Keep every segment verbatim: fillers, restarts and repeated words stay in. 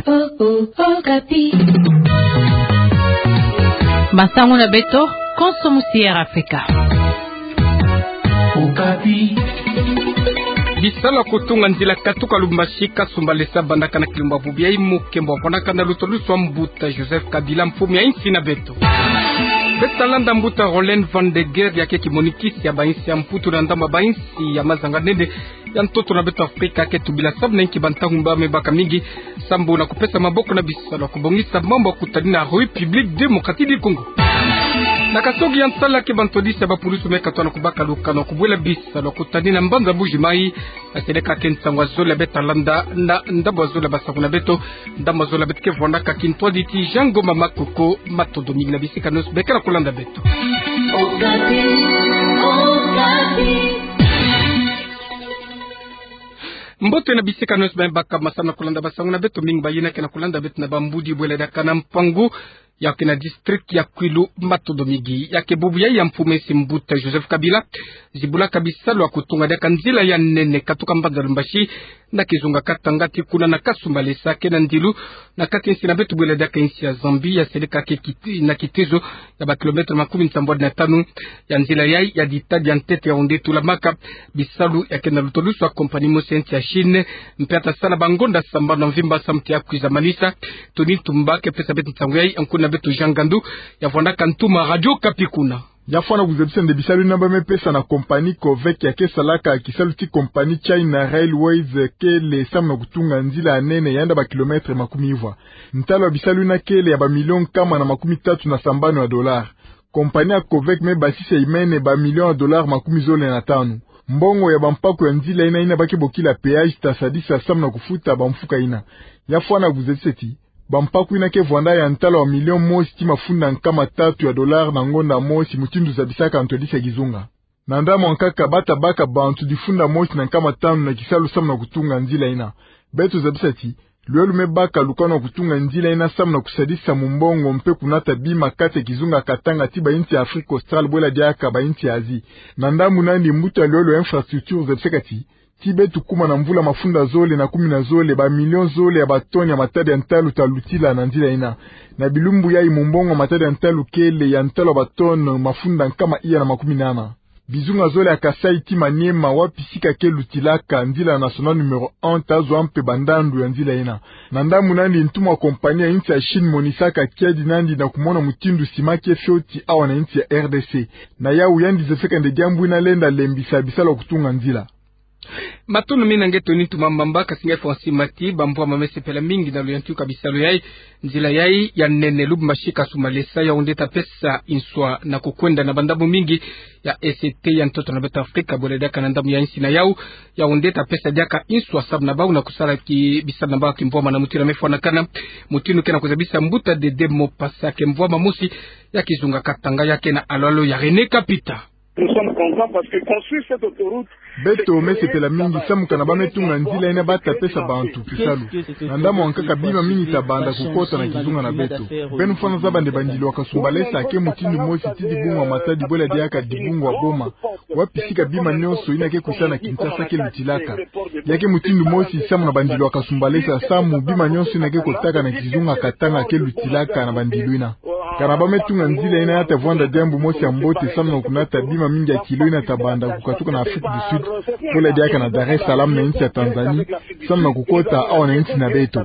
Oh, oh, Okapi. Masangu na beto, konso musi Air Afrika. Okapi. Bisalu ya kutunga nzila katuka Lubumbashi Kasumbalesa bandaka na kilumbu ya bubu yayi, mukembo wa fwanakana na lutolusu wa mbuta Joseph Kabila, mfumu ya insi na beto. Beto ta landa mbuta Roland Van de Geer, ya ke kimonikisi ya bainsi ya Mputu na ndambu ya bainsi ya mazanga-nene ya ntoto na beto Afrika, ke tubila samu na inki bantangu mba me baka mingi, sambu na kupesa maboko na bisalu ya kubongisa mambu ya kutani na République Démocratique du Congo. Na kasogi ya nsala ke bantwadisi ya bapulusu me katwa na kubaka lukano ya kubwela bisalu ya kutani na mbanza Mbuji Mayi, ya seleka ke nsangu ya zole ya beto ta landa na ndambu ya zole ya basangu na beto, ndambu ya zole ya beto ke vwandaka kintwaditi Jean Ngoma Makoko. Matondo mingi na bisika nyonso be ke na kulanda beto. Okapi, Okapi. Mbote na bisika nyonso be baka masamu na kulanda basangu na beto, mingi bayina ke na kulanda beto na Bambudi, bwela diaka na Mpangu, ya ke na district ya Kwilu. Matondo mingi. Ya ke bubu yayi ya mfumu ya insi mbuta Joseph Kabila zibulaka bisalu ya kutunga diaka nzila ya nene katuka mbanza Lubumbashi na kizunga Katanga ti kuna na Kasumbalesa, ke na ndilu na kati ya insi na beto bwela diaka insi ya Zambie, ya seleka ke kiti-, na kitezo ya ba kilomètre makumi nsambwadi na tanu. Ya nzila yayi ya dita dia ntete ya onde tulamaka bisalu ya ke na lutolusu wa compagnie mosi ya insi ya Chine, mpe ya ta sala bangonda sambanu na mvimba samu ti ya kwiza manisa. Tony Tumba ke pesa beto nsangu yayi, nkuna beto Jean Ngandu ya vwandaka ntuma Radio Okapi kuna. Ya fwana kuzabisa nde bisalu yina ba me pesa na compagnie Covec ya ke salaka kisalu ti compagnie China Railways kele samu na kutunga nzila ya nene ya nda ba kilomètre makumi ivwa. Ntalu ya bisalu yina kele ya ba million nkama na makumi tatu na sambanu ya dollar. Compagnie ya Covec me basisa imene ba million ya dollar makumi zole na tanu. Mbongo ya bampaku ya nzila yina, yina ba ke bokila péage, ta sadisa samu na kufuta bamfuka yina. Ya fwana kuzabisa ti bampaku yina ke vwanda ya ntalu ya million mosi ti mafunda nkama tatu ya dollar na ngonda mosi, mutindu zabisaka ntwadisi ya kizunga. Na ndambu ya nkaka, ba ta baka bantu difunda mosi na nkama tanu na kisalu samu na kutunga nzila yina. Beto zabisa ti lwelo me baka lukano ya kutunga nzila yina samu na kusadisa mumbongo mpe kunata bima kati ya kizunga Katanga ti bainsi ya Afrique australe bwela diaka bainsi ya Asie. Na ndambu nandi, mbuta ya lwelo ya infrastructure zabisaka ti, ti beto kuma na mvula mafunda zole na kumi na zole, ba million zole ya ba tonnes ya matadi ya ntalu ta lutila na nzila yina. Na bilumbu yayi, mumbongo ya matadi ya ntalu kele ya ntalu ya ba tonnes mafunda nkama iya na makumi nana. Bizunga zole ya Kasaï ti Maniema, wapi sika ke lutilaka nzila nationale numéro un, ta zwa mpe bandandu ya nzila yina. Na ndambu nandi, ntuma wa compagnie ya insi ya Chine monisaka kiadi nandi na kumona mutindu sima ke fioti awa na insi ya R D C. Na yawu, yandi zabisaka nde diambu yina lenda lembisa bisalu ya kutunga nzila. Matondo mingi na nge Tony Tumba Mbamba. Kasi nge Francis Mati, bamvwama me sepela mingi na luyantika bisalu yayi. Nzila yayi ya nene Lubumbashi Kasumbalesa, yawu nde ta pesa inswa na kukwenda na bandambu mingi ya E C T ya ntoto na beto Afrika, bwela diaka na ndambu ya insi na yawu. Yawu nde ta pesa diaka inswa samu na bawu na kusala ki bisalu na bawu ya kimvwama na mutindu me fwanakana, mutindu ke na kuzabisa mbuta Dede Mopasa, ke mvwama mosi ya kizunga Katanga, ya ke na alalo ya René Kapita. Nous sommes contents parce que construire cette autoroute, beto me sepela mingi samu kana ba me tunga nzila yina, ba ta pesa bantu kisalu. Na ndambu ya nkaka, bima mingi ta banda kukota na kizunga na beto. Beno fwana zaba nde bandilu ya Kasumbalesa ke mutindu mosi ti dibungu ya matadi bwela diaka dibungu ya Boma, wapi sika bima nyonso yina ke kwisa na Kinshasa ke lutilaka. Ya ke mutindu mosi samu na bandilu ya Kasumbalesa, samu bima nyonso yina ke kotaka na kizunga Katanga ke lutilaka na bandilu yina. Kana ba me tunga nzila yina, ya ta vwanda diambu mosi ya mbote samu na kunata bima mingi ya kilo yina ta banda kukatuka na Afrique du Sud, bwela diaka na Dar es Salaam na insi ya Tanzanie, samu na kukota awa na insi na beto.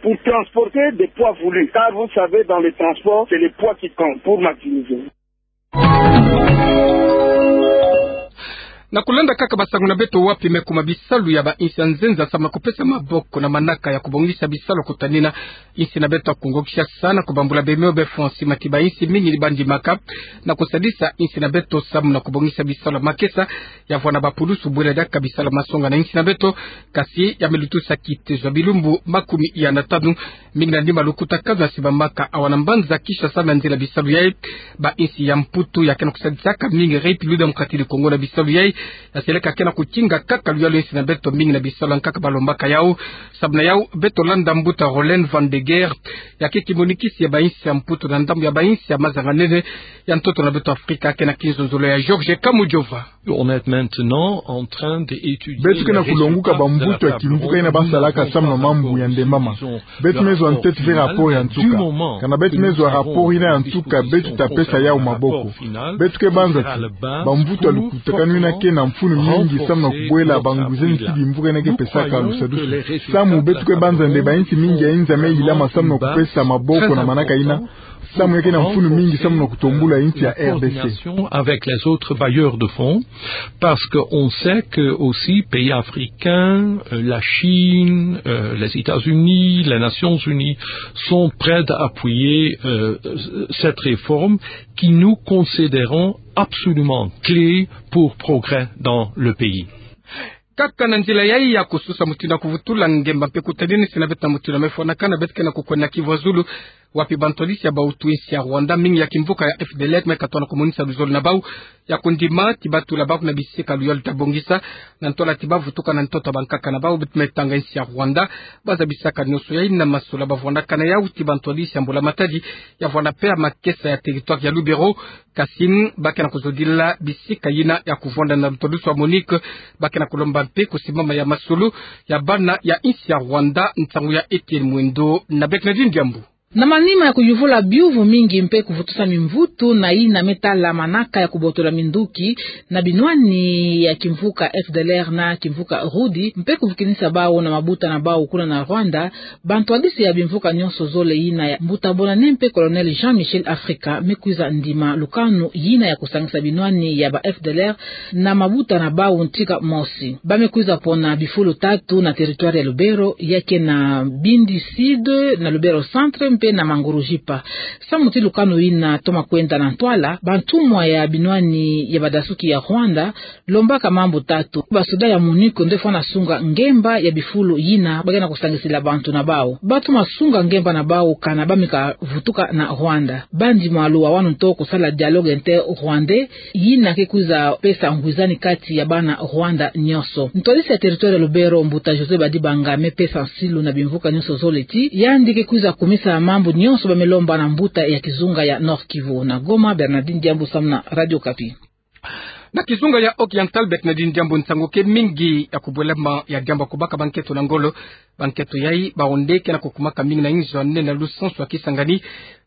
Pour transporter des poids voulus, car vous savez, dans les transports, c'est les poids qui comptent pour maximiser. Na kulanda kaka basangu na beto, wapi me kuma bisalu ya bainsi ya nzenza samu na kupesa maboko na manaka ya kubongisa bisalu ya kutani na insi na beto ya Kongo Kinshasa, na kubambula bemeo be Francis Mati, bainsi mingi ni ba ndimaka na kusadisa insi na beto samu na kubongisa bisalu ya makesa ya vwanda bapulusu bwela diaka bisalu ya masonga na insi na beto. Kasi ya me lutusa kitezo ya bilumbu makumi iya na tanu, mingi na ndimba lukutakanu ya sibamaka awa na mbanza Kinshasa na nzila bisalu yayi. Bainsi ya Mputu ya ke na kusadisaka mingi République Démocratique du Congo na bisalu yayi. Yaseleka ke na kutinga kaka luyalu ya insi na beto, mingi na bisalu ya nkaka balombaka yawu. Samu na yawu, beto landa mbuta Roland Van de Geer, ya ke kimonikisi ya bainsi ya Mputu na ndambu ya bainsi ya mazanganene ya ntoto na beto Afrika, ke na kinzonzolo ya George Kamujova. On est maintenant en train d'étudier. Beto ke na kulonguka bamvutu ya kimvuka yina basalaka samu na mambu ya ndembama. Beto me zwa ntete ve rapport ya nsuka. Kana beto me zwa rapport yina ya nsuka, beto ta pesa yawu maboko. Beto ke banza ti bamvutu ya lukutakanu yina ke na mfunu mingi samu na kubwela banguzeni ti bimvuka yina ke pesaka lusadusu. Samu beto ke banza nde bainsi mingi ya inza me yilama samu na kupesa maboko na manaka yina. Samu ya ke na mfunu mingi samu na kutombula insi ya R D C. Avec les autres bailleurs de fonds, parce qu'on sait que aussi pays africains, euh, la Chine, euh, les États-Unis, les Nations Unies sont prêts à appuyer, euh, cette réforme qui nous considérons absolument clé pour progrès dans le pays. Kaka na nzila yayi ya kususa mutindu ya kuvutula ngemba mpe kutaninisa na beto na mutindu ya mefwanakana, beto ke na kukwenda Kivu ya zulu, wapi bantwadisi ya bautu insi ya Rwanda, mingi ya kimvuka ya F D L R, me katoa na kumonisa luzolo na bawu ya kundima ti batula bawu na bisika luyalu ta bongisa, na ntwala ti bavutuka na ntoto ya bankaka na bawu. Beto me tanga insi ya Rwanda, baza bisaka nionso yayi na masolo ya bavwanakana yawu ti bantwadisi ya mbula matadi, ya vwanda mpe ya makesa ya territoire ya Lubero, kasi ba ke na kuzodila bisika yina ya kuvwanda na lutodusu ya MONUC, ba ke na kulomba mpe kusimbama ya masolo ya bana ya insi ya Rwanda. Nsangu ya Etienne Mwendo na Bernardine Diambu. Na manima ya kuyuvula biuvu mingi mpe kuvutusa mimvutu na yina me tala manaka ya kubotola minduki na binwani ya kimvuka F D L R na kimvuka Rudi, mpe kuvukinisa bawu na mabuta na bawu kuna na Rwanda, bantwadisi ya bimvuka nionso zole yina ya mbuta Bonane mpe Colonel Jean-Michel Afrika me kwiza ndima lukanu yina ya kusangisa binwani ya ba F D L R na mabuta na bawu ntika mosi. Ba me kwiza pona bifulu tatu na territoire ya Lubero, ya ke na Bindi Sud, na Lubero Centre mpe na Mangurujipa. Samu ti lukanu yina toma kwenda na ntwala, bantumwa ya binwani ya badasuki ya Rwanda lombaka mambu tatu. Basoda ya MONUC nde fwana sunga ngemba ya bifulu yina ba ke na kusangisila bantu na bawu. Ba toma sunga ngemba na bawu kana ba me kavutuka na Rwanda. Ba ndima lwawanu nto kusala dialogue inter-rwandais, yina ke kwiza pesa ngwizani kati ya bana Rwanda nionso. Ntwadisi ya territoire ya Lubero, mbuta José Badibanga, me pesa nsilu na bimvuka nionso zole ti yandi ke kwiza kumisa mambu nionso ba me lomba na mbuta ya kizunga ya Nord-Kivu. Na Goma, Bernardine Diambu samu na Radio Okapi. Na kizunga ya Oriental, Bernardine Diambu, nsangu ke mingi ya kubwelama ya diambu ya kubaka bankento na ngolo. Bankento yayi bawu nde ke na kukumaka mingi na inzo ya nene na lusansu ya Kisangani,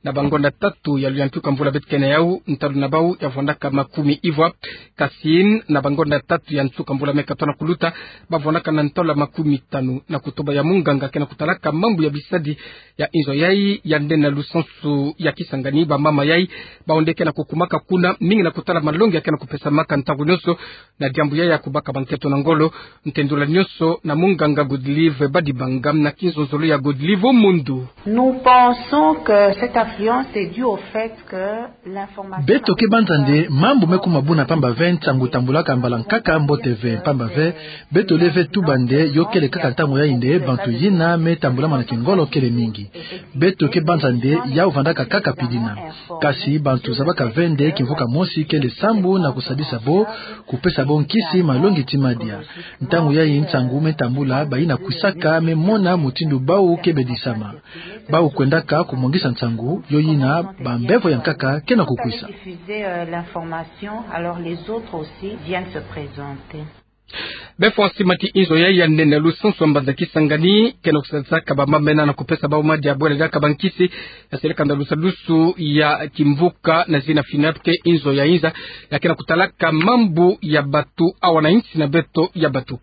na bangonda tatu ya luyantika mvula beto ke na yawu. Ntalu na bawu ya vwandaka makumi ivwa. Kasi na bangonda tatu ya nsuka mvula me katoa na kuluta, ba vwandaka na ntalu ya makumi tanu na kutoba. Ya munganga ke na kutalaka mambu ya bisadi ya inzo yayi ya nene na lusansu ya Kisangani, bamama yayi bawu nde ke na kukumaka kuna, mingi na kutala malongi ya ke na kupesamaka ntangu nionso na diambu yayi ya kubaka bankento na ngolo. Ntendula nionso na munganga Godlive Badibanga na kinzonzolo ya Godlive Omundu. Nous pensons que cette affluence est due au fait que l'information... Beto ke banza nde mambu me kuma buna mpamba ve nsangu tambulaka mbala nkaka mbote ve, mpamba ve beto le ve tuba nde yo kele kaka ntangu yayi nde bantu yina me tambulama na kingolo kele mingi. Beto ke banza nde yawu vandaka kaka pidina. Kasi bantu zabaka ve nde kimvuka mosi kele sambu na kusadisa bo, kupesa bo nkisi, malongi ti madia. Ntangu yayi nsangu me tambula, bayina kwisaka me mona mutindu bawu ke bedisama. Bawu kwendaka kumwangisa nsangu, yo yina bambevo ya nkaka ke na kukwisa. Diffuser, euh, l'information, alors les autres aussi viennent se présenter. Befo sima ti inzo yayi ya nene na lusansu ya mbanza Kisangani ke na kusadisaka bamama yina na kupesa bawu madia, bwele diaka bankisi, ya seleka nda lusadusu ya kimvuka na zina FINAPK, inzo ya inza ya ke na kutalaka mambu ya batu awa na insi na beto ya batu.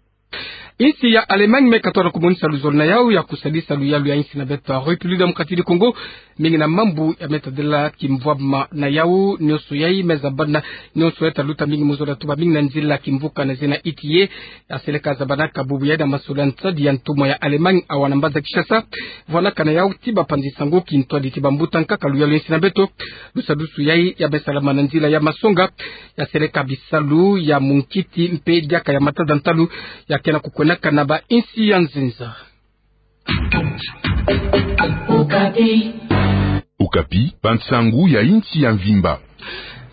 Insi ya Allemagne me katoa na kumonisa luzolo na yawu ya kusadisa luyalu ya insi na beto ya République Démocratique du Congo, mingi na mambu ya me tadila kimvwama na yawu. Nionso yayi me zabana, nionso yayi ta luta mingi mu zolo ya tuba mingi na nzila kimvuka na zina ITIE. Ya seleka zabanaka bubu yayi na masolo ya nsadi ya ntumwa ya Allemagne awa na mbanza Kinshasa. Vwanaka na yawu ti bapanzi nsangu, kintwadi ti bambuta nkaka luyalu ya insi na beto. Lusadusu yayi ya me salama na nzila ya masonga. Ya seleka bisalu ya munkiti mpe diaka ya matada ntalu ya ke na kukwendaka na ba insi ya nzinza. Okapi, bansangu ya insi ya mvimba.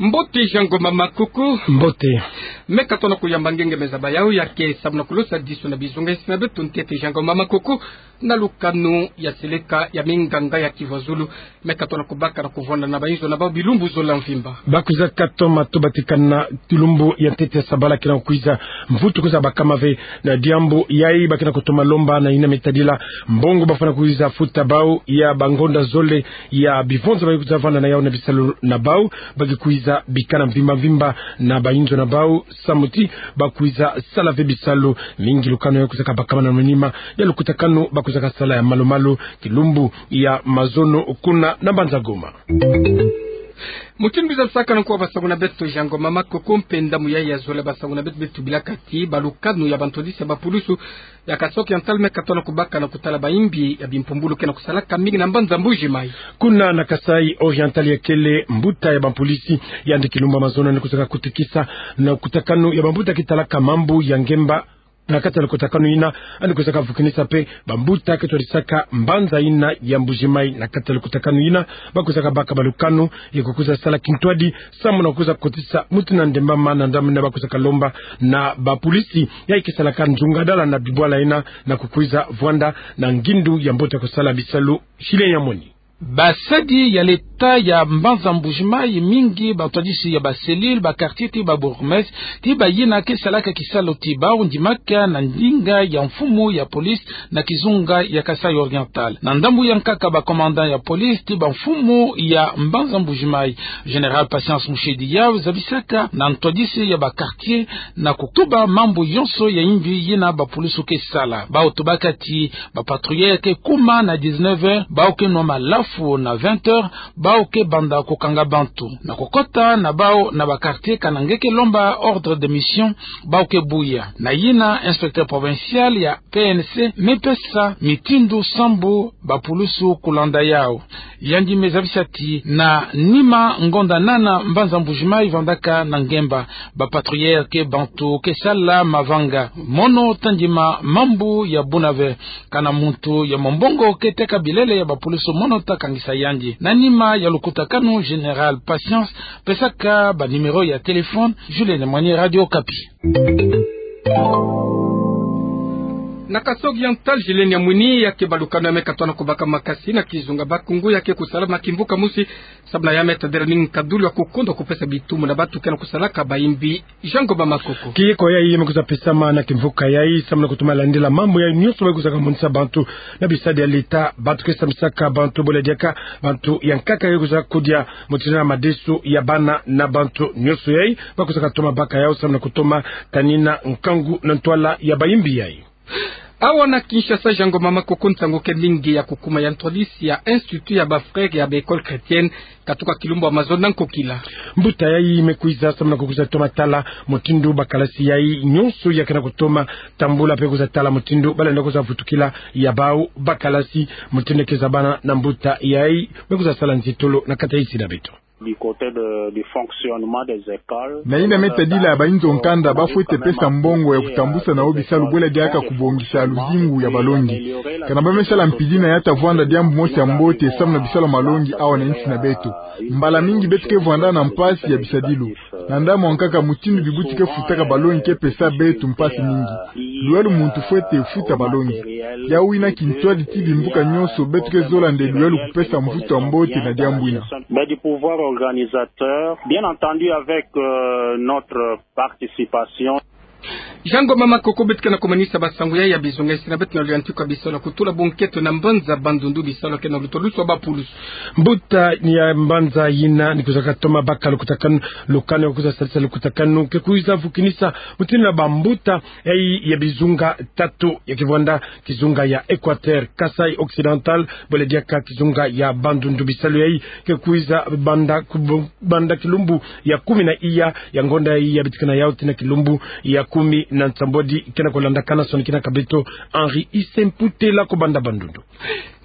Mbote Jean Ngoma Makoko. Mbote. Meka tona kuyamba ngenga meza ba yau ya ke samu na kulosa diso na bizunga isi na beto ntete Jean Ngoma Makoko, na lukanu ya seleka ya minganga ya Kivu Zulu. Meka tona kubaka na kuvwanda na bayinzo na bau bilumbu zola mvimba. Bakwiza katoma to batikana kilumbu ya ntete ya sabala kina kwiza mvutu kwiza bakama ve na diambu yayi ba kina kutoma lomba na yina me tadila mbongo bafwana kwiza futa bau ya bangonda zole ya bivonza ba kwiza vwanda na yau na bisalu na bau, ba ke kwiza bikana mvimba mvimba na bayinzo na bau, samu ti bakwiza sala ve bisalu mingi. Lukanu ya kwiza kabakama na manima ya lukutakanu ba kwiza kasala ya malu-malu kilumbu ya mazono kuna na mbanza Goma. Mutindu biza lusaka na nkuwa basangu na beto Jean Ngoma Makoko, mpe ndamu yayi ya zola basangu na beto, beto bilaka ti balukanu ya bantwadisi ya bapulusu ya Kasaï Oriental meka tona kubaka na kutala bayimbi ya bimpumbulu kena kusalaka mingi na mbanza Mbuji Mayi. Kuna na Kasaï Oriental ya kele mbuta ya bampolisi, yandi kilumbu ya mazono yandi kwiza kakutikisa na lukutakanu ya bambuta ke talaka mambu ya ngemba. Na kati ya lukutakanu yina, yandi kwiza kavukinisa mpe bambuta ke twadisaka mbanza yina ya Mbuji Mayi. Na kati ya lukutakanu yina, ba kwiza kabaka balukanu ya kukwiza sala kintwadi samu na kukwiza kotisa mutu na ndemba ma na ndambu yina ba kwiza kalomba na bapulisi yayi ke salaka nzungadala na bibwala yina na kukwiza vwanda na ngindu ya mbote ya kusala bisalu. Shile ya moni. Basadi ya leta ya mbanza Mbuji Mayi mingi, bantwadisi ya ba cellule, ba quartier ti ba bourgmestre, ti bayina ke salaka kisalu ti bau ndimaka na ndinga ya mfumu ya police na kizunga ya Kasaï Oriental. Na ndambu ya nkaka ba commandant ya police ti bamfumu ya mbanza Mbuji Mayi, Général Patience Mushedi, yau zabisaka na ntwadisi ya ba quartier na kutuba mambu yonso ya yimbi yina bapulusu ke sala. Bau tubaka ti bapatrouilleurs ke kuma na dix-neuf heures, bau ke nwa malafu na vingt heures, bau ke banda kukanga bantu na kukota na bau na ba quartier, kana nge ke lomba ordre de mission, bau ke buya. Na yina inspecteur provincial ya P N C me pesa mitindu sambu bapulusu kulanda yau. Yandi me zabisa ti na nima ngonda nana mbanza Mbuji Mayi vandaka na ngemba, bapatrouilleurs ke bantu ke sala mavanga. Mono ta ndima mambu ya buna ve, kana muntu ya mombongo ke teka bilele ya bapulusu mono ta kangisa yandi. Na nima ya lukutakanu, Général Patience pesaka ba numéro ya téléphone. Julienne Mwani, Radio Okapi. Na Kasaï Oriental, Julienne Mwani, ya ke balukanu ya meka tona kubaka makasi na kizunga Bakungu, ya ke kusala na kimvuka mosi, samu na ya me tadila ni nkadulu ya kukondwa kupesa bitumu na bantu kena kusalaka bayimbi. Jean Ngoma Makoko. Kieko yayi me kwiza pesama na kimvuka yayi samu na kutoma landila mambu yayi nyonso ba kwiza kamonisa bantu na bisadi ya leta, bantu ke sambisaka bantu, bole diaka bantu ya nkaka ya kwiza kudia mutindu na madesu ya bana na bantu nyonso yayi ba kwiza katoma baka yau samu na kutoma tanina nkangu na ntwala ya bayimbi yayi. Awa na Kinshasa, Jean Ngoma Makoko, nsangu ke mingi ya kukuma ya ntwadisi ya Institut ya ba Frères ya ba Écoles Chrétiennes katuka kilumbu ya mazono na nkokila. Mbuta yayi me kwiza samu na kukwiza toma tala mutindu bakalasi yayi nyonso ya kena kutoma tambula mpe kwiza tala mutindu balenda kwiza vutukila ya bau bakalasi. Mutindu ke zabana na mbuta yayi, me kwiza sala nzitolo na kati ya insi na beto. Du côté de, du fonctionnement des écoles. Na yina me tadila bayinzo nkanda, bafwete pesa mbongo ya kutambusa na yo bisalu, bwela diaka kubongisa luzingu ya balongi. Kana ba me sala mpidi na ya ta vwanda diambu mosi ya mbote samu na bisalu ya malongi awa na insi na beto. Mbala mingi beto ke vwanda na mpasi ya bisadilu. Na ndambu ya nkaka, mutindu bibuti ke futaka balongi ke pesa beto mpasi mingi. Lwela muntu fwete futa balongi. Yau yina kintwadi ti bimbuka nyonso, beto ke zola nde lwela kupesa mvutu ya mbote na diambu yina. Mais du pouvoir organisateur, bien entendu, avec, euh, notre participation. Jean Ngoma Makoko, beto ke na kumanisa basangu yayi ya bizunga isi na beto na luyantika bisalu ya kutula bunkento na mbanza Bandundu, bisalu ke na lutolusu ya bapulusu. Mbuta ya mbanza yina ni kwiza katoma baka lukutakanu, lukanu ya kwiza salisa lukutakanu ke kwiza vukinisa mutindu na bambuta yayi ya bizunga tatu ya ke vwanda, kizunga ya Équateur, Kasaï Occidental, bwela diaka kizunga ya Bandundu. Bisalu yayi ke kwiza banda kubu-, banda kilumbu ya kumi na iya ya ngonda yayi ya bitikana yau tii na kilumbu ya kumi Na nsambwadi ke na kolandakana, sonikini kaka beto Henri Ise Mputela ko banda bandondo.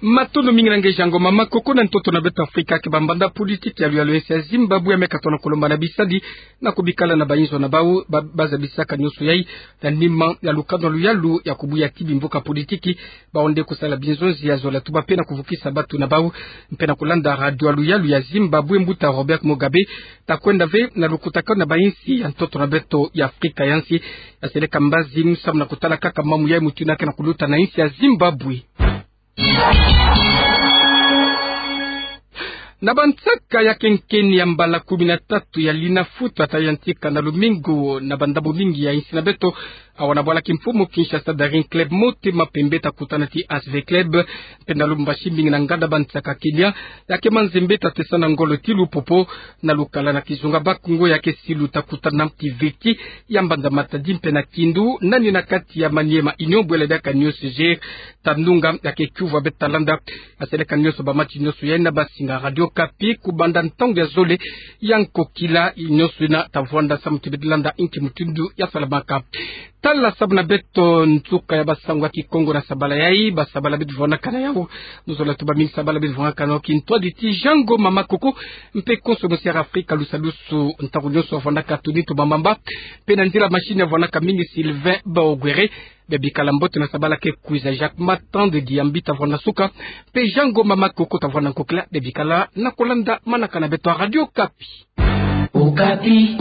Matondo mingi na nge Jean Ngoma. Makoko na ntoto na beto Afrika ke bambanda politiki ya luyalu ya nsi ya Zimbabwe ya meka tona kolomba na bisadi na kobikala na bayinzo na bau, ba, bazabisaka nionso yai na nima ya lukanu ya luyalu ya kobuya ti bimboka politiki, bawu nde kosala binzonzi ya zola tuba mpe na kovukisa bato na bau. Mpe na kolanda radio ya luyalu ya Zimbabwe, mbuta Robert Mugabe ta kwenda ve na lukutakanu na bayinsi ya ntoto na beto ya Afrika ya nsi. Ya seleka mbazi, samu na kotala kaka mamu yai mutindu yake na koluta na yinsi ya Zimbabwe. Na bansaka ya kenkeni ya mbala kumi na tatu ya Linafoot ata yantika na lumingu na bandambu mingi ya yinsi na beto, awa na bwala kimfumu Kinshasa, Daring Club Motema Pembe ta kutana ti A S V Club. Mpe na Lubumbashi, mingi na nganda bansaka Kenya ya ke Mazembe ta tesa na ngolo ti Lupopo. Na lukala na kizunga Bakongo ya ke Silu ta kutana ti Viti ya mbanza Matadi. Mpe na Kindu, nani na kati ya Maniema Union Bwela diaka New C G ta nunga ya ke Kiuvu ya Betalanda. Ya seleka nionso bamatch nionso yai na basinga Radio Okapi kobanda ntangu ya zole ya nkokila. Nionso ina ta vwanda samu ti beto landa inki mutindu ya salamaka. Tala sabu na beto nsuka ya basango ya Kikongo na sabala yai, basabala beto vwandaka na yau. Mu zola tuba mingi sabala beto vwandaka na yau kintwadi ti Jean Ngoma Makoko, mpe konso musiara Afrika lusalusu ntangu nionso avwandaka Tony Tubamamba. Mpe na nzila machine avwandaka mingi Sylvain Baogwere. Bebikala mbote na sabala ke kwiza. Jacques Matande Diambi ta vwanda suka, mpe Jean Ngoma Makoko ta vwanda nkokila. Bebikala na kolanda manaka na beto ya Radio Okapi. Okapi.